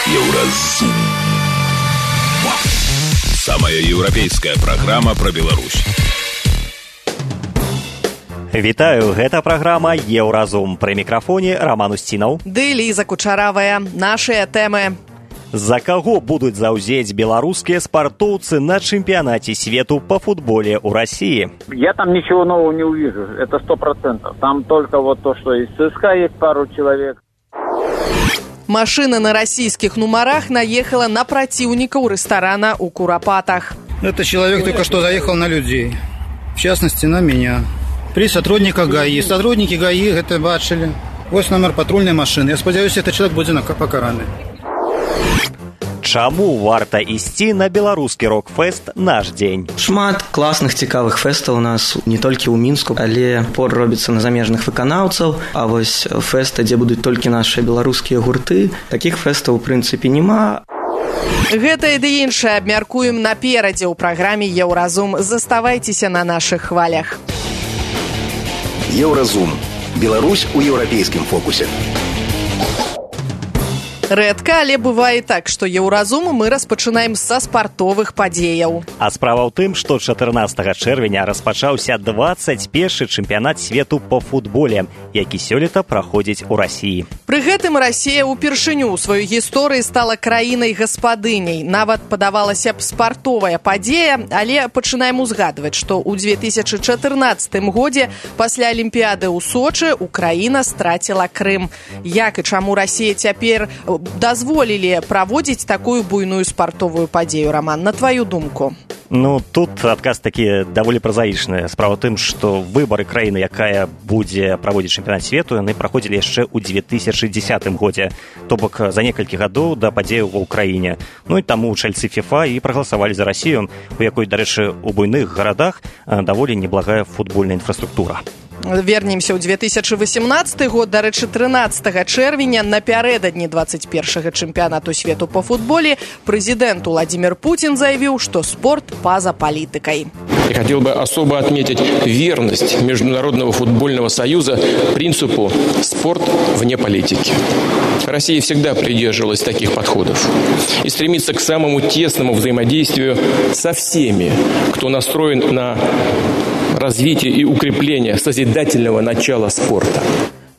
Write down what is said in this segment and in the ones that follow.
Еўразум. Самая еўрапейская праграма пра Беларусь. Вітаю, гэта праграма «Еўразум». Пры мікрафоне Роман Устінаў. Ды Ліза Кучаравая. Нашыя тэмы. За каго будуць заўзець беларускія спартоўцы на чэмпіянаце свету по футболе ў России? Я там ничего нового не увижу, это 100%. Там только вот то, что из ЦСКА есть пару человек. Машина на российских номерах наехала на противников ресторана у Куропатах. Этот человек только что заехал на людей, в частности на меня. При сотрудниках ГАИ. Сотрудники ГАИ это бачили. Вот номер патрульной машины. Я сподіваюся, этот человек будет покараны. Чаму варта ісці на беларускі рок-фэст «Наш дзень»? Шмат класных цікавых фэстаў у нас не толькі ў Мінску, але пор робіцца на замежных выканаўцаў. А вось фэсты, дзе будуць толькі нашыя беларускія гурты, такіх фэстаў у прынцыпе няма. Гэта і ды іншае абмяркуем наперадзе ў праграме «Еўразум». Заставайцеся на нашых хвалях. Еўразум. Беларусь у еўрапейскім фокусе. Рэдка, але бывае так, што «Еўразум» мы распачынаем са спартовых падзеяў. А справа ў тым, што 14 чэрвеня распачаўся 21-й чэмпіянат свету по футболе, які сёлета праходзіць у Расіі. Пры гэтым Расія ўпершыню ў сваёй гісторыі стала краінай-гаспадыняй. Нават падавалася б спартовая падзея, але пачынаем узгадваць, што ў 2014 годзе пасля Алімпіяды ў Сочы Украіна страціла Крым. Як і чаму Расія цяпер дазволілі праводзіць такую буйную спартовую падзею, Роман, на твою думку? Ну, тут адказ такі даволі празаічны. Справа ў тым, што выбары краіны, якая будзе праводзіць чэмпіянат свету, яны праходзілі яшчэ ў 2010 годзе, то бок за некалькі гадоў да падзеяў ва ўкраіне. Ну і таму чальцы ФІФА і прагаласавалі за Расію, у якой, дарэчы, у буйных гарадах даволі неблагая футбольная інфраструктура. Вернемся ў 2018 год, дарэчы, 13 чэрвеня, напярэдадні 21-го чэмпіянату свету по футболе, прэзідэнт Владимир Путин заявіў, што спорт па-за палітыкай. Я хотел бы особо отметить верность Международного футбольного союза принципу «спорт вне политики». Россия всегда придерживалась таких подходов и стремится к самому тесному взаимодействию со всеми, кто настроен на развитие и укрепление созидательного начала спорта.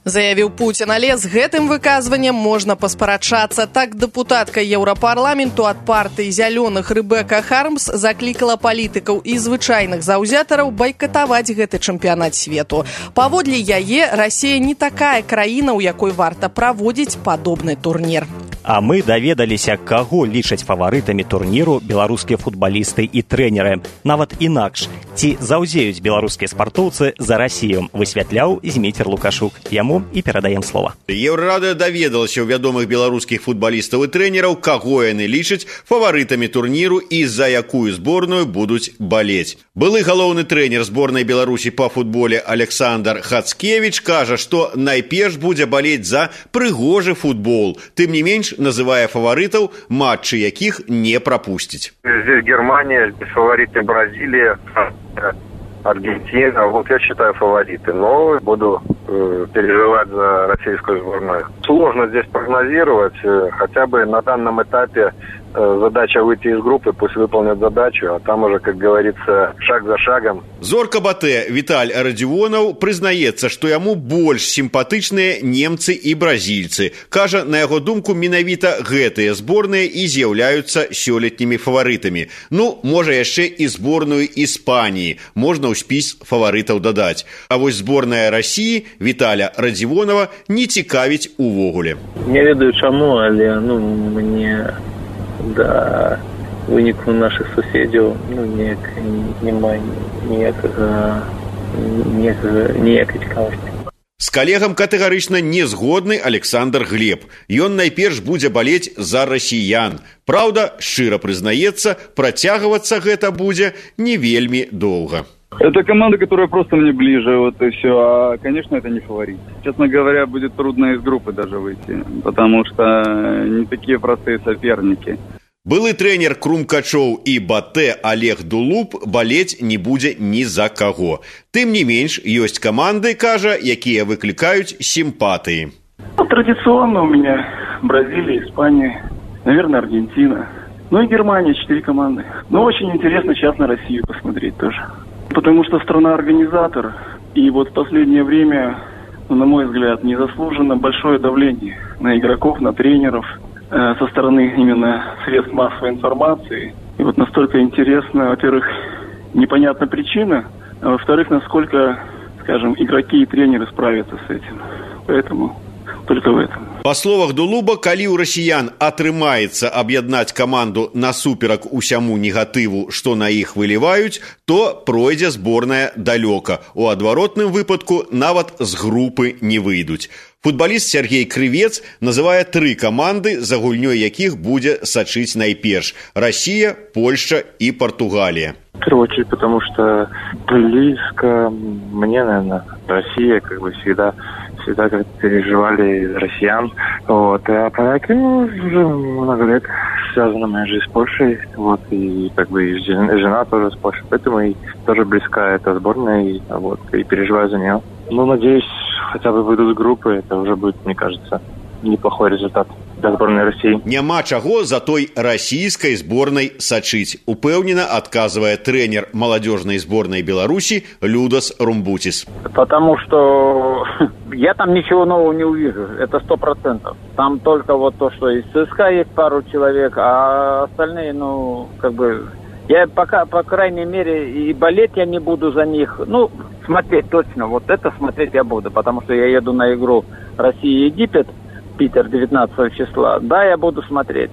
Заявіў Пуцін, але з гэтым выказваннем можна паспрачацца. Так дэпутатка Еўрапарламенту ад партыі зялёных Рэбека Хармс заклікала палітыкаў і звычайных заўзятараў байкатаваць гэты чэмпіянат свету. Паводле яе, Расія не такая краіна, у якой варта праводзіць падобны турнір. А мы даведаліся, каго лічаць фаварытамі турніру беларускія футбалісты і трэнеры. Нават інакш, ці заўзеюць беларускія спартоўцы за Расію, высвятляў Зміцер Лукашук. Яму і перадаем слова. Еўрарада даведалася ў вядомых беларускіх футбалістаў і трэнераў, каго яны лічаць фаварытамі турніру і за якую зборную будуць балець. Былы галоўны трэнер зборнай Беларусі па футболе Александр Хацкевіч кажа, што найперш будзе балець за прыгожы футбол. Тым не менш, называя фаворитов, матчи яких не пропустить. Здесь Германия, здесь фавориты Бразилия, Аргентина. Вот я считаю фавориты, но буду переживать за российскую сборную. Сложно здесь прогнозировать, хотя бы на данном этапе задача выйти из группы, пусть выполнят задачу, а там уже, как говорится, шаг за шагом. Зорка Батэ Віталь Радзівонаў прызнаецца, што яму больш сімпатычныя немцы і бразільцы. Кажа, на яго думку, менавіта гэтыя зборныя і з'яўляюцца сёлетнімі фаварытамі. Ну, можа яшчэ і зборную Іспаніі можна ў спіс фаварытаў дадаць. А вось зборная Расіі Віталя Радзівонава не цікавіць увогуле. Не ведаю чаму, але мне да выніку наших суседзяў няма ніякай цікавасці. З калегам катэгарычна не згодны Александр Глеб. Ён найперш будзе балець за расіян. Праўда, шчыра прызнаецца, працягвацца гэта будзе не вельмі доўга. Это команда, которая просто мне ближе, вот и все. А, конечно, это не фаворит. Честно говоря, будет трудно из группы даже выйти, потому что не такие простые соперники. Былы трэнер Крумкачоў і Батэ Олег Дулуб балець не будзе ні за каго. Тым не менш, ёсць каманды, кажа, якія выклікаюць сімпатыі. Традиционно у меня Бразилия, Испания. Наверное, Аргентина. Ну и Германия, 4 команды. Но очень интересно сейчас на Россию посмотреть тоже. Потому что страна-организатор. И вот в последнее время, на мой взгляд, незаслуженно большое давление на игроков, на тренеров со стороны именно средств массовой информации. И вот настолько интересно, во-первых, непонятна причина, а во-вторых, насколько, скажем, игроки и тренеры справятся с этим. Поэтому только в этом. Па словах Дулуба, калі ў расіян атрымаецца аб'яднаць каманду насуперак усяму негатыву, што на іх выліваюць, то пройдзе зборная далёка. У адваротным выпадку нават з групы не выйдуць. Футболіст Сергей Крывец называе 3 каманды, за гульнёй якіх будзе сачыць найперш: Россия, Польша и Португалия. В первую очередь, потому что близко мне, наверное, Россия, как бы всегда как переживали из россиян. Вот. А поляки, уже много лет связана моя жизнь с Польшей. Вот. И как бы и жена тоже с Польшей. Поэтому и тоже близка эта сборная. И, вот, и переживаю за нее. Ну, надеюсь, хотя бы выйдут с группы. Это уже будет, мне кажется, неплохой результат для сборной России. Няма чаго за той российской сборной сачыць, упэўнена адказвае тренер молодежной сборной Беларуси Людас Румбутис. Потому что я там ничего нового не увижу, это 100%. Там только вот то, что из ЦСКА есть пару человек, а остальные, я пока, по крайней мере, и болеть я не буду за них. Смотреть точно, вот это смотреть я буду, потому что я еду на игру Россия-Египет, Питер 19 числа. Да, я буду смотреть.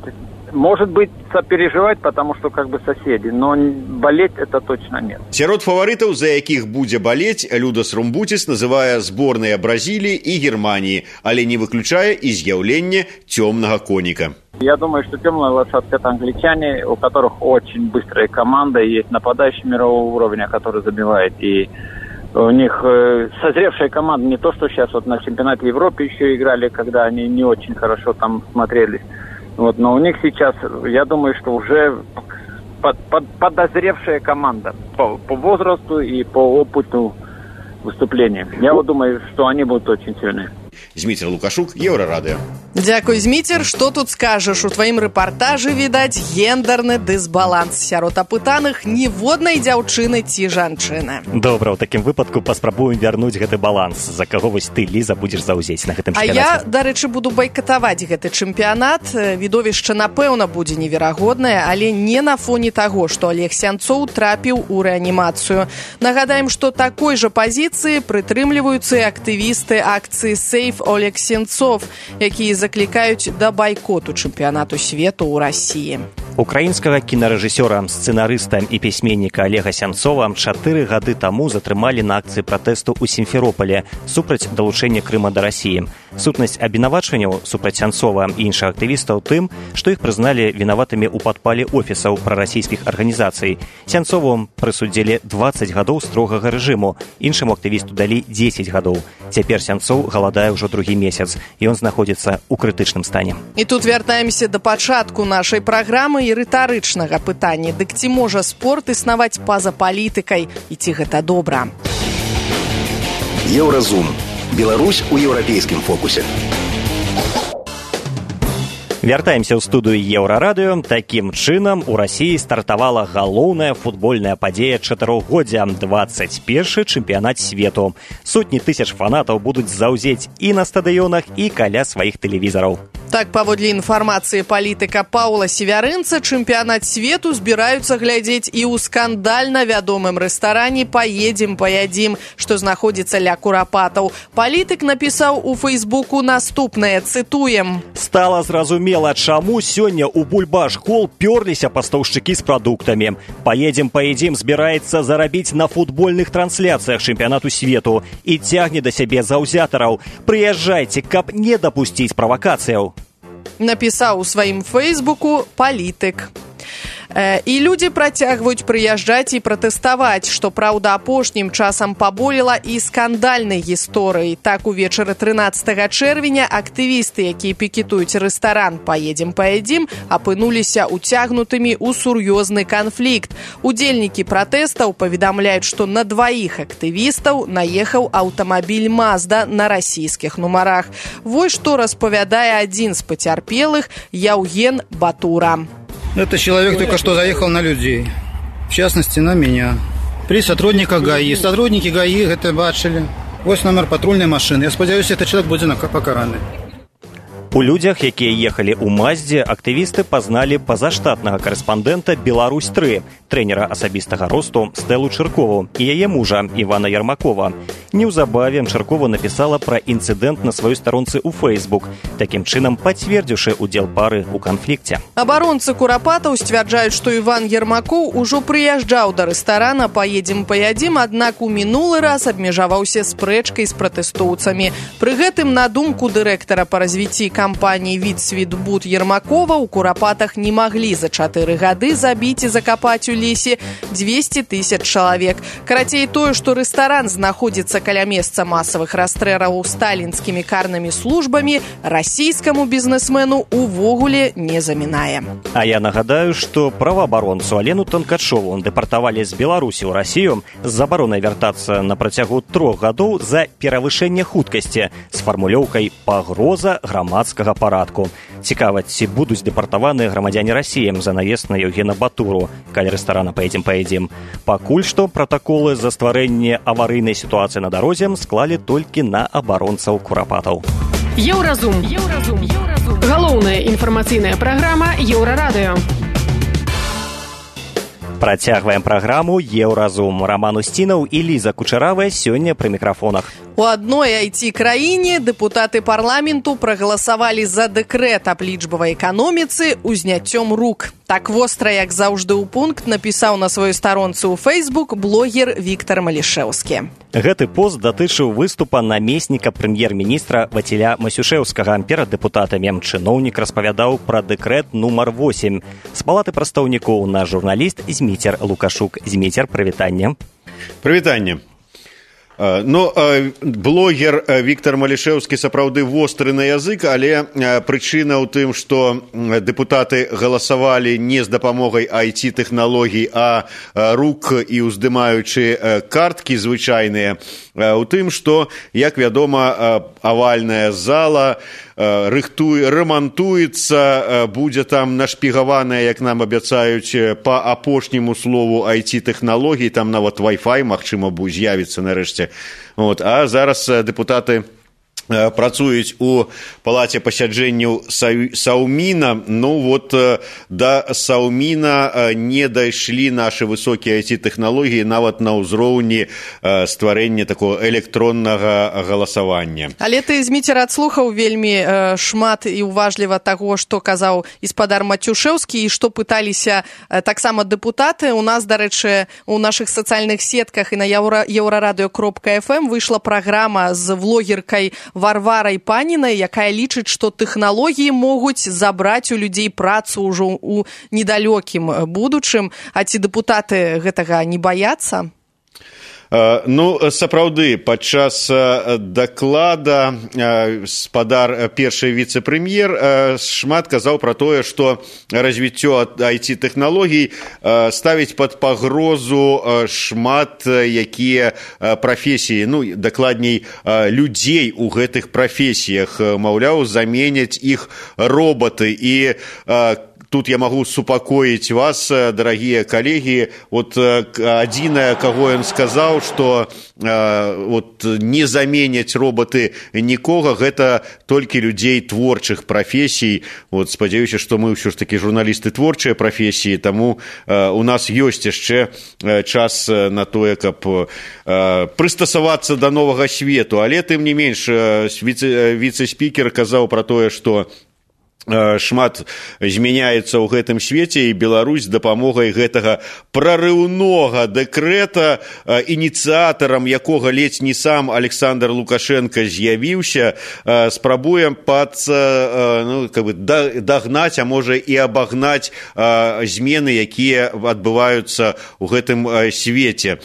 Может быть, сопереживать, потому что соседи, но болеть это точно нет. Сярод фаворитаў, за якіх будзе балець, Людас Румбутис называе зборныя Бразилии и Германии, але не выключае и з'яўленне темного коника. Я думаю, что темная лошадка — это англичане, у которых очень быстрая команда, есть нападающий мирового уровня, который забивает, и у них созревшая команда, не то, что сейчас вот на чемпионате Европы еще играли, когда они не очень хорошо там смотрелись. Вот, но у них сейчас, я думаю, что уже подозревшая команда по возрасту и по опыту выступления. Я вот думаю, что они будут очень сильны. Зміцер Лукашук, Еўрарадыё. Дзякуй, Зміцер. Што тут скажаш? У тваім рэпартажы відаць гендерны дысбаланс. Сярод апытаных ніводнай дзяўчыны ці жанчыны. Добра, у такім выпадку паспрабуем вярнуць гэты баланс. За каго вось ты, Ліза, будзеш заўзець на гэтым чэмпіянаце? А я, дарэчы, буду байкатаваць гэты чэмпіянат. Відовішча, напэўна, будзе неверагоднае, але не на фоне таго, што Олег Сянцоў трапіў у рэанімацыю. Нагадаем, што такой жа пазіцыі прытрымліваюцца і актывісты акцыі «Сейф Олег Сенцов», якія заклікаюць да байкоту чэмпіянату свету ў Расіі. Украінскага кінарэжысёра, сцэнарыста і пісьменніка Олега Сянцова 4 гады таму затрымалі на акцыі пратэсту ў Сімферополі супраць далучэння Крыма да Расіі. Сутнасць абвінавачванняў супраць Сянцова і іншых актывістаў тым, што іх прызналі вінаватымі ў падпале офісаў прарасійскіх арганізацый. Сянцову прысудзілі 20 гадоў строгага рэжыму, іншаму актывісту далі 10 гадоў. Цяпер Сянцоў галадае ўжо другі месяц, і ён знаходзіцца ў крытычным стане. І тут вяртаемся да пачатку нашай праграмы і рытарычнага пытання. Дык ці можа спорт існаваць па-за палітыкай, і ці гэта добра? Еўразум. Беларусь у еўрапейскім фокусе. Вяртаемся ў студыю Еўрарадыё. Такім чынам у Расіі стартавала галоўная футбольная падзея чатырохгоддзя – 21-й чэмпіянат свету. Сотні тысяч фанатаў будуць заўзець і на стадыёнах, і каля сваіх тэлевізараў. Так, паводле інфармацыі палітыка Паўла Севярынца, чэмпіянат свету збіраюцца глядзець і ў скандальна вядомым рэстаране «Паедзем, паядзім», што знаходзіцца ля Курапатаў. Палітык напісаў у Фейсбуку наступнае, цытуем. Стала зразумела, чаму сёння ў Бульбаш-хол пёрліся пастаўшчыкі з прадуктамі. «Паедзем, паядзім» збіраецца зарабіць на футбольных трансляцыях чэмпіянату свету і цягне да сябе заўзятараў. Прыязджайце, каб не дапусціць правакацыяў. Напісаў у сваім фейсбуку палітык. І людзі працягваюць прыязджаць і пратэставаць, што, праўда, апошнім часам паболела і скандальнай гісторыі. Так, увечары 13 чэрвеня актывісты, якія пікетуюць рэстаран «Поедем, апынуліся уцягнутымі ў сур'ёзны канфлікт. Удзельнікі пратэстаў паведамляюць, што на дваіх актывістаў наехаў аўтамабіль «Мазда» на расійскіх нумарах. Вось што распавядае адзін з пацярпелых Яўген Батура. Этот человек только что заехал на людей, в частности на меня. При сотрудниках ГАИ. Сотрудники ГАИ это бачили. Вот номер патрульной машины. Я сподіваюся, этот человек будет покараны. У людзях, якія ехалі ў «Маздзе», актывісты пазналі пазаштатнага карэспандэнта «Беларусь-3», трэнера асабістага росту Стэлу Чыркову і яе мужа Івана Ярмакова. Неўзабаве Чыркова напісала пра інцыдэнт на сваёй старонцы ў Facebook, такім чынам пацвердзіўшы удзел пары ў канфлікце. Абаронцы Курапатаў сцвярджаюць, што Іван Ярмакоў ужо прыязджаў да рэстарана «Поедем», аднак у мінулы раз абмежаваўся спрэчкай з пратэстоўцамі. Пры гэтым, на думку дырэктара па развіцці кампаніі «Вітсвітбуд» Ярмакова, у Курапатах не маглі за 4 гады забіць і закапаць у лесе 200 000 чалавек. Карацей, тое, што рэстаран знаходзіцца каля месца масавых расстрэлаў сталінскімі карнымі службамі, расійскаму бізнесмену увогуле не замінае. А я нагадаю, што праваабаронцу Алену Танкачову дэпартавалі з Беларусі ў Расію з забаронай вяртацца на працягу 3 гадоў за перавышэнне хуткасці з фармулёўкай «пагроза грамадскага парадку». Цікава, ці будуць дэпартаваныя грамадзяне Расіі за наезд на Яўгена Батуру, каля рэстарана «Поедем». Пакуль што пратаколы за стварэнне аварыйнай сітуацыі на дарозе склалі толькі на абаронцаў Курапатаў. Еўразум. Галоўная інфармацыйная праграма Еўрарадыё. Працягваем праграму «Еўразум». Роман Устінаў і Ліза Кучаравая сёння пры мікрафонах. У адной IT-краіне дэпутаты парламенту прагаласавалі за дэкрэт аб лічбавай эканоміцы узняццём рук. Так востра, як заўжды ў пункт, напісаў на сваёй старонцы ў Facebook блогер Віктар Малішэўскі. Гэты пост датычыў выступа намесніка прэм'ер-міністра Ваціля Масюшэўскага перад дэпутатамі. Чыноўнік распавядаў пра дэкрэт нумар 8. З палаты прадстаўнікоў наш журналіст Зміцер Лукашук. Зміцер, прывітанне. Прывітанне. Блогер Віктар Малішэўскі сапраўды востры на язык, але прычына ў тым, што дэпутаты галасавалі не з дапамогай IT-тэхналогій, а рук і ўздымаючы карткі звычайныя, у тым, што, як вядома, авальная зала рамантуецца, будзе там нашпігаваная, як нам абяцаюць, па апошняму слову IT-тэхналогій, там нават Wi-Fi, магчыма, з'явіцца нарэшце. А зараз дэпутаты працуюць у палаце пасяджэнняў Саўміна. Да Саўміна не дайшлі нашы высокія IT-тэхналогіі нават на ўзроўні стварэння такого электроннага галасавання. Але ты, Зміцер, адслухаў вельмі шмат і уважліва таго, што казаў гаспадар Матюшэўскі і што пыталіся таксама дэпутаты. У нас, дарэчы, у нашых сацыяльных сетках і на еўрарадыё.фм выйшла праграма з влогеркай Варварай Панінай, якая лічыць, што тэхналогіі могуць забраць у людзей працу ўжо ў недалёкім будучым. А ці дэпутаты гэтага не баяцца? Сапраўды, падчас даклада спадар першы віцэ-прэм'ер шмат казаў пра тое, што развіццё IT-тэхналогій ставіць пад пагрозу шмат якія прафесіі, дакладней, людзей у гэтых прафесіях. Маўляў, заменяць іх роботы. І тут я могу супакоіць вас, дарагія калегі. Адзінае, каго ён сказаў, што не заменяць роботы нікога, гэта толькі людзей творчых прафесій. Спадзяюся, што мы ўсё ж такі журналісты творчыя прафесіі, таму у нас ёсць яшчэ час на тое, каб прыстасавацца да новага свету. Але тым не менш, віцэ-спікер казаў пра тое, што шмат змяняецца ў гэтым свеце, і Беларусь з дапамогай гэтага прарыўнога дэкрэта, ініцыятарам якога ледзь не сам Александр Лукашенко з'явіўся, спрабуем дагнаць, а можа і абагнаць змены, якія адбываюцца ў гэтым свеце.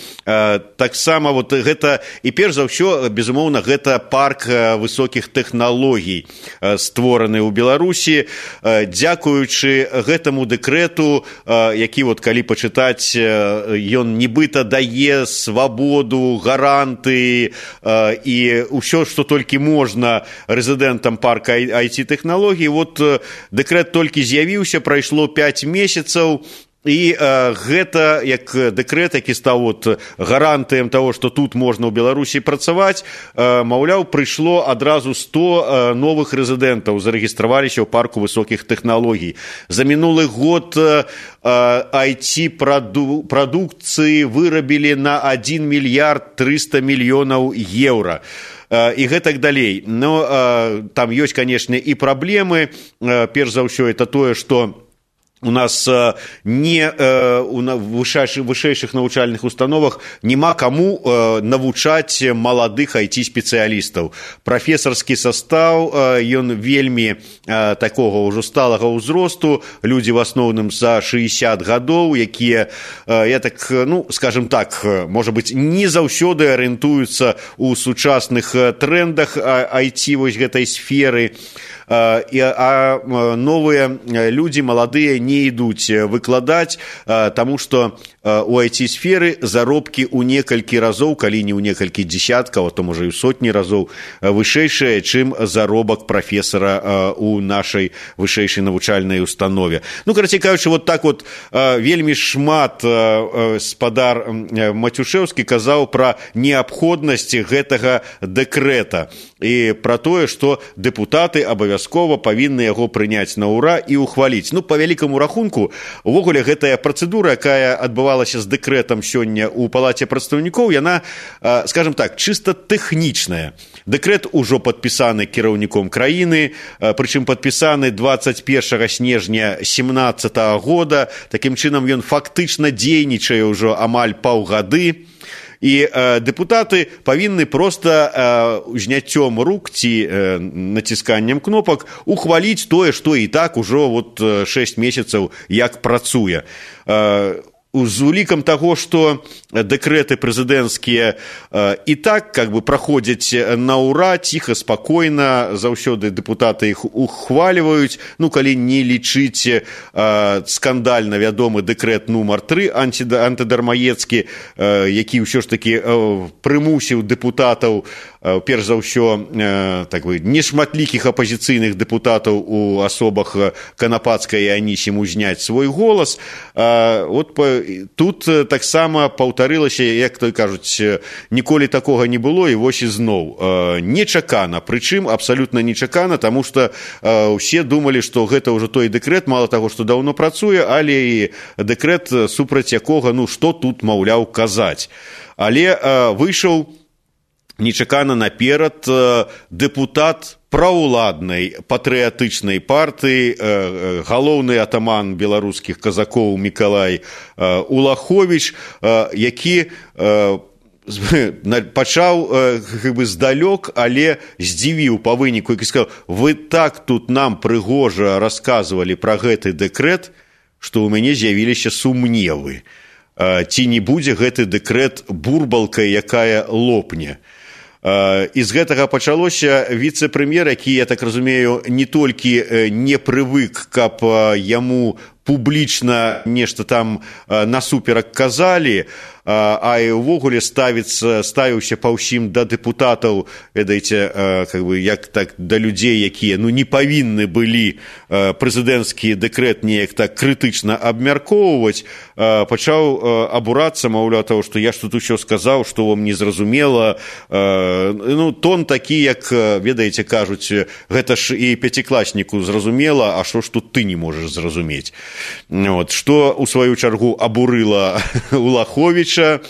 Таксама гэта, і перш за ўсё, безумоўна, гэта парк высокіх тэхналогій, створаны ў Беларусі. Дзякуючы гэтаму дэкрэту, які, калі пачытаць, ён нібыта дае свабоду, гаранты і ўсё, што толькі можна рэзідэнтам парка IT-тэхналогій. Дэкрэт толькі з'явіўся, прайшло 5 месяцаў, і гэта як дэкрэт, які стаў гарантыем таго, што тут можна ў Беларусі працаваць, маўляў, прыйшло адразу 100 новых рэзідэнтаў, зарэгістраваліся ў парку высокіх тэхналогій. За мінулы год IT-прадукцыі вырабілі на 1 мільярд 300 мільёнаў еўра. І гэтак далей. Но там ёсць, канешне, і праблемы. Перш за ўсё, это тое, што у нас у вышэйшых навучальных установах няма каму навучаць маладых IT-спецыялістаў. Прафесарскі састаў, ён вельмі такога ўжо сталага ўзросту, людзі в асноўным за 60 гадоў, якія, скажем так, можа быць, не заўсёды арыентуюцца ў сучасных трендах IT вось гэтай сферы. А новыя людзі, маладыя, не ідуць выкладаць, таму што у IT-сферы заробкі ў некалькі разоў, калі не ў некалькі дзесяткаў, а то можа і ў сотні разоў вышэйшыя, чым заробак прафесара у нашай вышэйшай навучальнай установе. Карацей кажучы, вельмі шмат спадар Матюшэўскі казаў пра неабходнасць гэтага дэкрэта і пра тое, што дэпутаты абавязкова павінны яго прыняць на ўра і ўхваліць. Па вялікаму рахунку, увогуле гэтая працэдура, якая адбывалася з дэкрэтам сёння ў Палаце прадстаўнікоў, яна, скажем так, чыста тэхнічная. Дэкрэт ужо падпісаны кіраўніком краіны, прычым падпісаны 21 снежня 2017 года. Такім чынам ён фактычна дзейнічае ўжо амаль паўгады. І дэпутаты павінны проста зняццём рук ці націсканнем кнопак ухваліць тое, што і так ужо 6 месяцаў як працуе. З улікам таго, што дэкрэты прэзідэнцкія і так праходзяць на ўра, ціха, спакойна, заўсёды дэпутаты іх ухваліваюць, калі не лічыць скандальна вядомы дэкрэт нумар 3 антыдармаецкі, які ўсё ж такі прымусіў дэпутатаў, перш за ўсё, нешматлікіх апазіцыйных дэпутатаў у асобах Канапацкай і Анісіму зняць свой голас. Тут таксама паўтарылася, як то кажуць, ніколі такога не было, і вось ізноў. Нечакана, прычым абсалютна нечакана, таму што ўсе думалі, што гэта ўжо той дэкрэт, мала таго, што даўно працуе, але і дэкрэт, супраць якога, што тут, маўляў, казаць. Але выйшаў нечакана наперад дэпутат праўладнай патрыятычнай партыі, галоўны атаман беларускіх казакоў Мікалай Улаховіч, які пачаў здалёк, але здзівіў па выніку, які сказаў: вы так тут нам прыгожа расказвалі пра гэты дэкрэт, што ў мяне з'явіліся сумневы, ці не будзе гэты дэкрэт бурбалкай, якая лопне. І з гэтага пачалося. Віцэ-прэм'ер, які, я так разумею, не толькі не прывык, каб яму публічна нешта там насуперак казалі, а і ўвогуле ставіўся па ўсім да дэпутатаў, ведаеце, як так да людзей, якія не павінны былі прэзідэнцкі дэкрэт неяк так крытычна абмяркоўваць, пачаў абурацца, маўляў, таго, што я ж тут усё сказаў, што вам не зразумела. Тон такі, як, ведаеце, кажуць, гэта ж і пяцікласніку зразумела, а што ж тут ты не можаш зразумець. Што, у сваю чаргу, абурыла Улаховіча.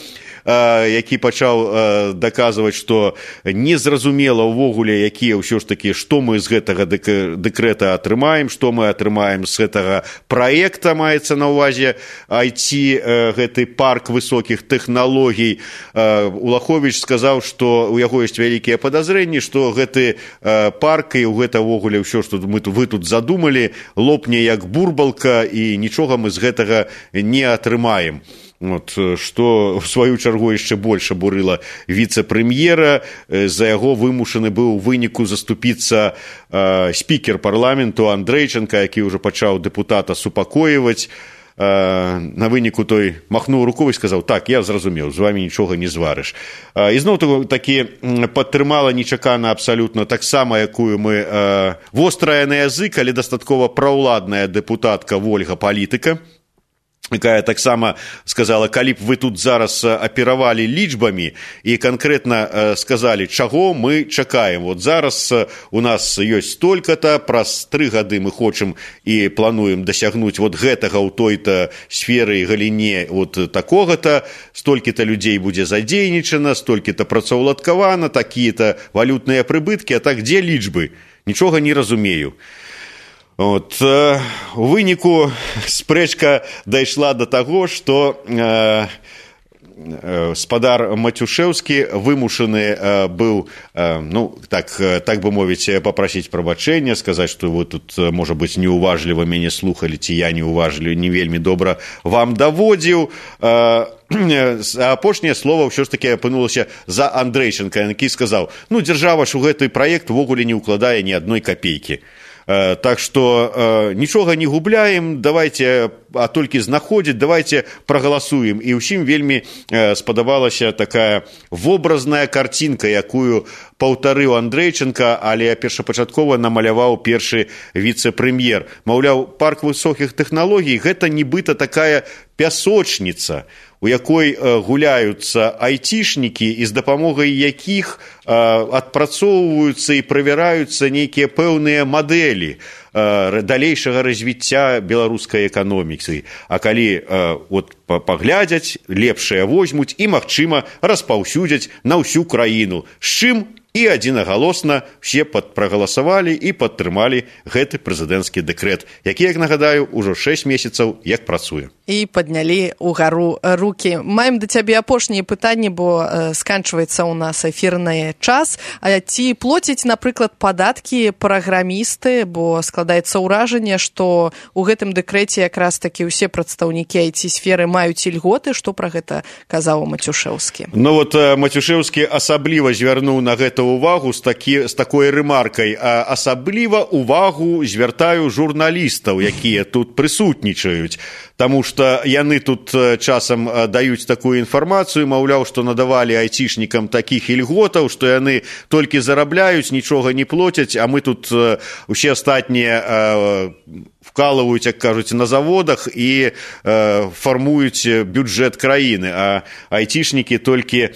які пачаў даказваць, што незразумела ўвогуле, якія ўсё ж такі, што мы з гэтага дэкрэта атрымаем, што мы атрымаем з гэтага праекта, маецца на ўвазе IT, гэты парк высокіх тэхналогій. Улаховіч сказаў, што ў яго ёсць вялікія падазрэнні, што гэты парк і гэта ўвогуле ўсё, што вы тут задумалі, лопне як бурбалка, і нічога мы з гэтага не атрымаем. Вот, што в сваю чаргу яшчэ больш абурыла віцэ-прэм'ера. За яго вымушаны быў у выніку заступіцца спікер парламенту Андрэйчанка, які ўжо пачаў дэпутата супакоіваць. На выніку той махнуў рукой і сказаў: так, я зразумеў, з вамі нічога не зварыш. Ізноў такі падтрымала нечакана абсалютна таксама, якую мы вострая на язык, але дастаткова праўладная дэпутатка Вольга Палітыка, якая таксама сказала: калі б вы тут зараз аперавалі лічбамі і канкрэтна сказалі, чаго мы чакаем. Вот зараз у нас ёсць столькі-то, праз 3 гады мы хочам і плануем дасягнуць вот гэтага ў той-то сферы і галіне вот такога-то, столькі-то людзей будзе задзейнічана, столькі-то працаўладкавана, такія-то валютныя прыбыткі, а так дзе лічбы? Нічога не разумею. Вот. У выніку спрэчка дайшла до таго, што спадар Матюшэўскі вымушаны быў, ну, так бы мовіць, папрасіць прабачэння, сказаць, што вы тут, можа быць, неуважліва мяне слухалі, ці я неуважліва, не вельмі добра вам даводзіў. Апошняе слова ўсё ж такі апынулася за Андрэйчанка, які сказаў: ну, дзяржава ж у гэты праект увогуле не ўкладае ні адной капейкі. Так што нічога не губляем, давайте, а толькі знаходзіць, давайте прагаласуем. І ўсім вельмі спадабалася такая вобразная карцінка, якую паўтарыў Андрэйчанка, але першапачаткова намаляваў першы віцэ-прэм'ер. Маўляў, парк высокіх тэхналогій – гэта нібыта такая пясочніца, у якой гуляюцца айцішнікі і з дапамогай якіх адпрацоўваюцца і правяраюцца нейкія пэўныя мадэлі далейшага развіцця беларускай эканомікі. А калі вот паглядзяць, лепшыя возьмуць і, магчыма, распаўсюдзяць на ўсю краіну. З чым і адзінагалосна все прагаласавалі і падтрымалі гэты прэзідэнцкі дэкрэт, які, як нагадаю, ужо 6 месяцаў як працуе. І паднялі ўгару рукі. Маем да цябе апошнія пытанні, бо сканчваецца ў нас эфірны час. Ці плоцяць, напрыклад, падаткі праграмісты, бо складаецца ўражанне, што ў гэтым дэкрэце якраз такі ўсе прадстаўнікі IT-сферы маюць ільготы. Што пра гэта казаў Матюшэўскі? Ну вот Матюшэўскі асабліва звярнуў на гэта увагу з такой рэмаркай. Асабліва увагу звяртаю журналістаў, якія тут прысутнічаюць. Таму што яны тут часам даюць такую інфармацыю, маўляў, што надавалі айцішнікам такіх ільготаў, што яны толькі зарабляюць, нічога не плоцяць, а мы тут усе астатнія вкалываюць, як кажуць, на заводах і фармуюць бюджэт краіны, а айцішнікі толькі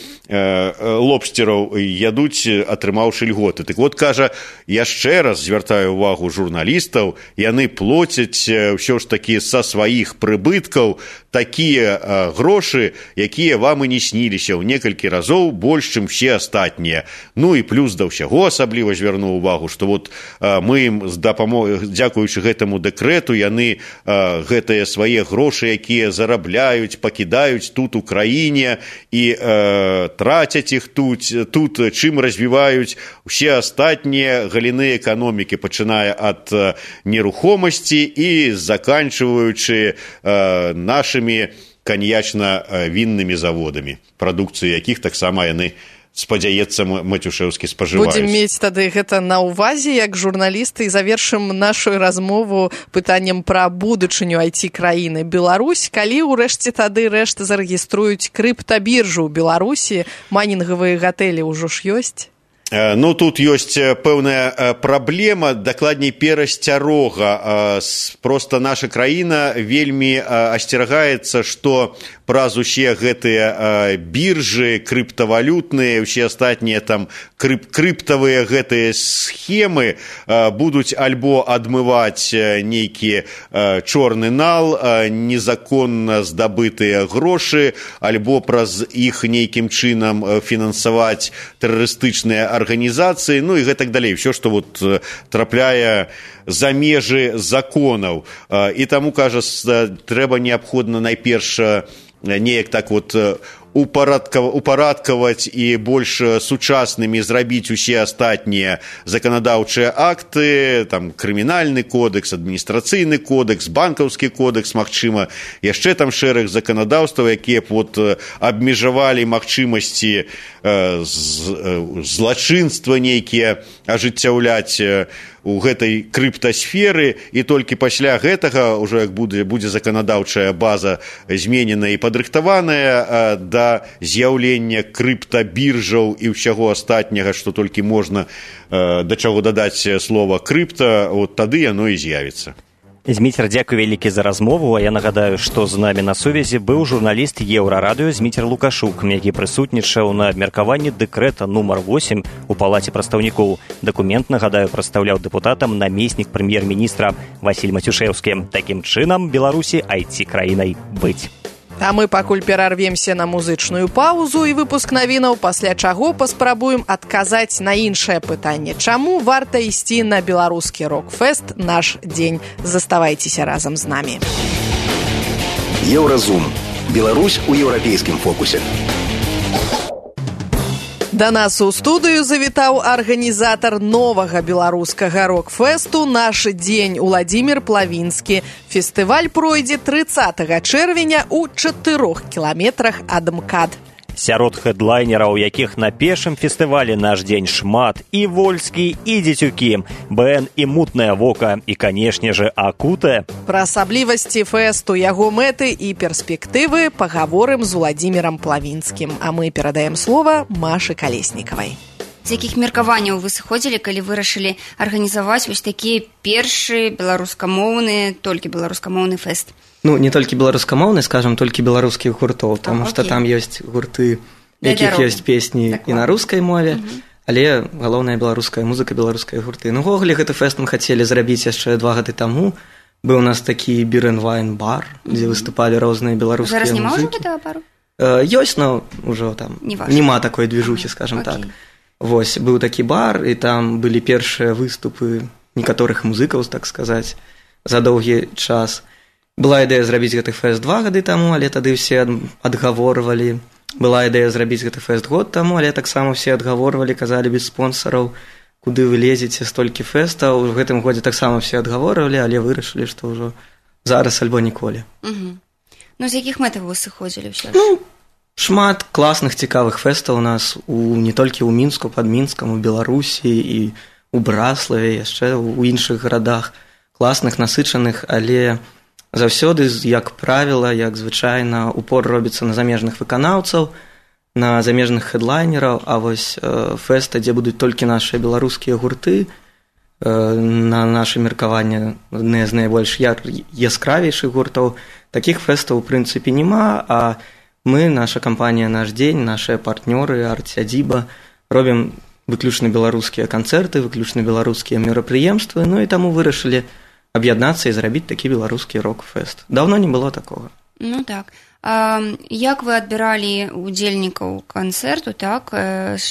лобстераў ядуць, атрымаўшы льготы. Так вот, кажа, яшчэ раз звяртаю увагу журналістаў, яны плоцяць ўсё ж такі са сваіх прыбыткаў такія грошы, якія вам і не сніліся, ў некалькі разоў больш, чым все астатнія. Ну і плюс да ўсяго асабліва звярнуў увагу, што вот мы ім дзякуючы гэтаму дэкрэту, яны гэтыя свае грошы, якія зарабляюць, пакідаюць тут у краіне і трацяць іх тут, чым развіваюць усе астатнія галіны эканомікі, пачынае ад нерухомасці і заканчваючы нашымі каньячна-віннымі заводамі, прадукцыю якіх таксама яны, спадзяецца, Матюшэўскі спажываюць. Будзем мець тады гэта на ўвазе як журналісты і завершым нашу размову пытаннем пра будучыню IT-краіны Беларусь. Калі ўрэшце тады рэшт зарэгіструюць крыптабіржу ў Беларусі, майнінгавыя гатэлі ўжо ж ёсць? Ну, тут ёсць пэўная праблема, дакладней перасцярога. Проста наша краіна вельмі асцерагаецца, што праз усе гэтыя біржы крыптавалютныя, усе астатнія там крыптавыя гэтыя схемы будуць альбо адмываць нейкі чорны нал, незаконна здабытыя грошы, альбо праз іх нейкім чынам фінансаваць тэрарыстычныя арганізацыі, ну і гэтак далей, все, што вот трапляе за межы законаў. І таму, кажа, трэба неабходна найперш неяк так вот упарадкаваць і больш сучаснымі зрабіць усе астатнія заканадаўчыя акты, там крымінальны кодекс, адміністрацыйны кодекс, банкаўскі кодекс, магчыма, яшчэ там шэраг заканадаўстваў, якія б вот абмежавалі магчымасці злачынства нейкія ажыццяўляць у гэтай крыптасферы, і толькі пасля гэтага ўжо як будзе заканадаўчая база зменена і падрыхтаваная да з'яўлення крыптабіржаў і ўсяго астатняга, што толькі можна да чаго дадаць слова крыпта, от тады яно і з'явіцца. Зміцер, дзякуй вялікі за размову, а я нагадаю, што з намі на сувязі быў журналіст Еўрарадыё Зміцер Лукашук, які прысутнічаў на абмеркаванні дэкрэта нумар 8 у палаце прадстаўнікоў. Дакумент, нагадаю, прадстаўляў дэпутатам намеснік прэм'ер-міністра Васіль Мацюшэўскі. Такім чынам Беларусі IT-краінай быць. А мы пакуль перарвемся на музычную паузу і выпуск навінаў, пасля чаго паспрабуем адказаць на іншае пытанне. Чаму варта ісці на беларускі рок-фэст наш дзень? Заставайцеся разам з намі. Еўразум. Беларусь у еўрапейскім фокусе. Да нас у студыю завітаў арганізатар новага беларускага рок-фэсту «Наш дзень» Уладзімір Плавінскі. Фестываль пройдзе 30 чэрвеня ў 4 кіламетрах ад МКАД. Сярод хэдлайнераў, якіх на першым фестывалі «Наш дзень» шмат, і Вольскі, і Дзецюкі, БН і Мутнае вока, і, канешне же, Акутэ. Пра асаблівасці фэсту, яго мэты і перспектывы пагаворым з Уладзімірам Плавінскім. А мы перадаем слова Машы Калеснікавай. З якіх меркаванняў вы сыходзілі, калі вырашылі арганізаваць вось такі першы беларускамоўны, толькі беларускамоўны фэст? Ну, не толькі беларускамоўны, скажам, толькі беларускіх гуртоў, таму што там ёсць гурты, якіх ёсць песні і на рускай мове, але галоўная беларуская музыка, беларускія гурты. Ну, ввогуле, гэты фэст мы хацелі зрабіць яшчэ 2 гады таму. Быў у нас такі бір-н-вайн-бар, дзе выступалі розныя беларускія музыкі. Зараз няма ўжо гэтага бару? Ёсць, но ўжо там няма такой движухі, скажам так. Вось, быў такі бар, і там былі першыя выступы некаторых музыкаў, так сказаць, за доўгі час. Была ідэя зрабіць гэты фэст 2 гады таму, але тады ўсе адгаворвалі. Была ідэя зрабіць гэты фэст год таму, але таксама ўсе адгаворвалі, казалі без спонсараў, куды вы лезеце, столькі фэстаў. У гэтым годзе таксама ўсе адгаворвалі, але вырашылі, што ўжо зараз альбо ніколі. Ну, з якіх мэтаў вы сыходзілі ўсё? Ну, шмат класных цікавых фэстаў у нас не толькі ў Мінску, пад Мінскам, у Беларусі і у Браславе, яшчэ ў іншых гарадах. Класных, насычаных, але заўсёды, як правіла, як звычайна, упор робіцца на замежных выканаўцаў, на замежных хэдлайнераў, а вось фэста, дзе будуць толькі нашыя беларускія гурты, на наша меркаванне адны з найбольш яскравейшых гуртоў, такіх фэстаў, у прынцыпе, няма, а мы, наша кампанія «Наш дзень», нашыя партнёры, арт-сядзіба, робім выключна беларускія канцэрты, выключна беларускія мерапрыемствы, ну і таму вырашылі аб'яднацца і зрабіць такі беларускі рок-фэст. Даўно не было такога. Ну так. Як вы адбіралі удзельнікаў канцэрту, так?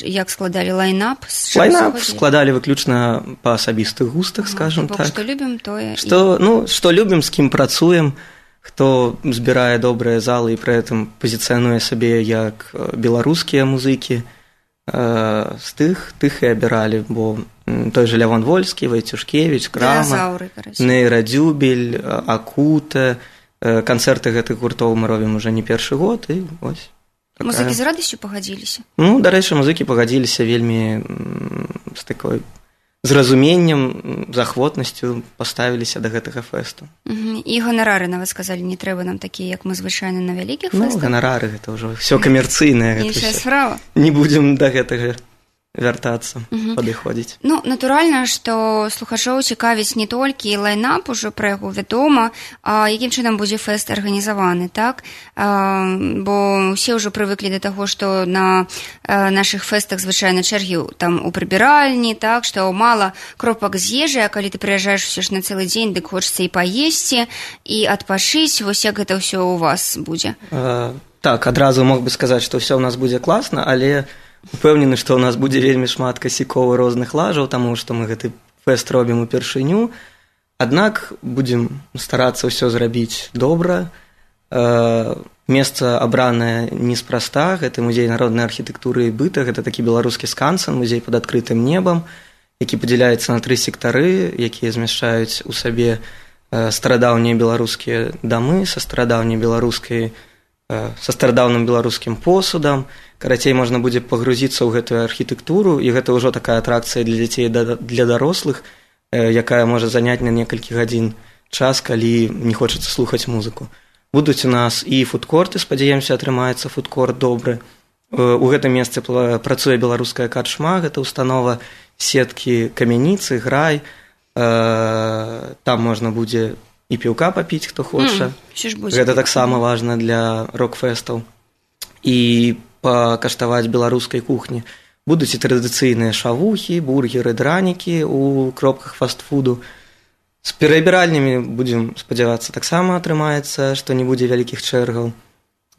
Як складалі лайнап? Лайнап складалі выключна па асабістых густах, скажам так. Што любім, тое... Што любім, з кім працуем, хто збірае добрыя залы і пры гэтым пазіцыянуе сабе як беларускія музыкі, з тых і абіралі, бо той же Лявон Вольскі, Вайцюшкевіч, Крама, Нейрадзюбель, Акутэ, канцэрты гэтых гуртоў мы робім уже не першы год, і вось. Музыкі з радасцю пагадзіліся? Ну, дарэчы, музыкі пагадзіліся вельмі з такой зразуменнем, захвотнасцю паставіліся да гэтага фэсту. І ганарары, нават сказалі, не трэба нам такія, як мы звычайна на вялікіх фэстах? Ну, ганарары, гэта ўжо ўсё камерцыйнае. Іншая справа. Не будзем да гэтага вяртацца, падыходзіць. Ну, натуральна, што слухачоў цікавіць не толькі лайнап, ужо пра яго вядома, а якім чынам будзе фэст арганізаваны, так? Бо ўсе ўжо прывыклі да таго, што на нашых фэстах звычайна чэргі там у прыбіральні, так, што мала кропак з ежы, а калі ты прыязджаеш усё ж на цэлы дзень, дык хочацца і паесці, і адпачыць, вось як гэта ўсё у вас будзе? Так, адразу мог бы сказаць, што ўсё ў нас будзе класна, але упэўнены, што ў нас будзе вельмі шмат касякоў розных лажаў, таму што мы гэты фэст робім упершыню. Аднак будзем старацца ўсё зрабіць добра. Месца абранае неспроста, гэта музей народнай архітэктуры і быта, гэта такі беларускі скансен, музей пад адкрытым небам, які падзяляецца на 3 сектары, якія змяшчаюць у сабе старадаўнія беларускія дамы са старадаўнім беларускім посудам. Карацей, можна будзе пагрузіцца ў гэтую архітэктуру, і гэта ўжо такая атракцыя для дзяцей, для дарослых, якая можа заняць на некалькі гадзін час, калі не хочацца слухаць музыку. Будуць у нас і фудкорты, спадзяемся, атрымаецца фудкорт добры. У гэтым месцы працуе беларуская карчма, гэта установа сеткі камяніцы, грай. Там можна будзе і піўка папіць, хто хоча. Гэта таксама важна для рок-фэстаў. І пакаштаваць беларускай кухні. Будуць і традыцыйныя шавухі, бургеры, дранікі ў кропках фастфуду. З перабіральнямі будзем спадзявацца, таксама атрымаецца, што не будзе вялікіх чэргаў.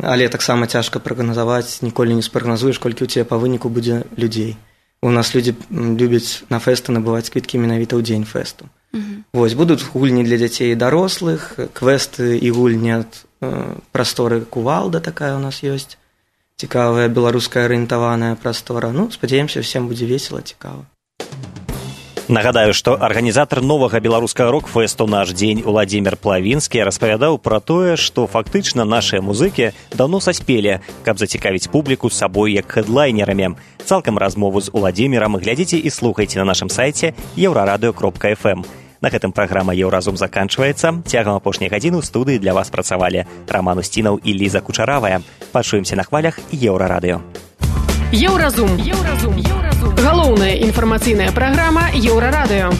Але таксама цяжка прагназаваць, ніколі не спрагназуеш, колькі ў цябе па выніку будзе людзей. У нас людзі любяць на фэсты набываць квіткі менавіта ў дзень фэсту. Вось, будуць гульні для дзяцей і дарослых, квесты і гульні ад прасторы Кувалда такая у нас ёсць. Цікавая беларуская арыентаваная прастора. Ну, спадзяемся, всем будзе весела, цікава. Нагадаю, што арганізатар новага беларускага рок-фэсту «Наш дзень» Уладзімір Плавінскі распавядаў пра тое, што фактычна нашыя музыкі даўно саспелі, каб зацікавіць публіку сабой як хэдлайнерамі. Цалкам размову з Уладзімірам глядзіце і слухайце на нашым сайце euraradio.fm. На гэтым праграма «Еўразум» заканчваецца. Цягам апошняй гадзіны ў студыі для вас працавалі Раман Усцінаў і Ліза Кучаравая. Пачуемся на хвалях Еўрарадыё. Еўразум. Галоўная інфармацыйная праграма Еўрарадыё.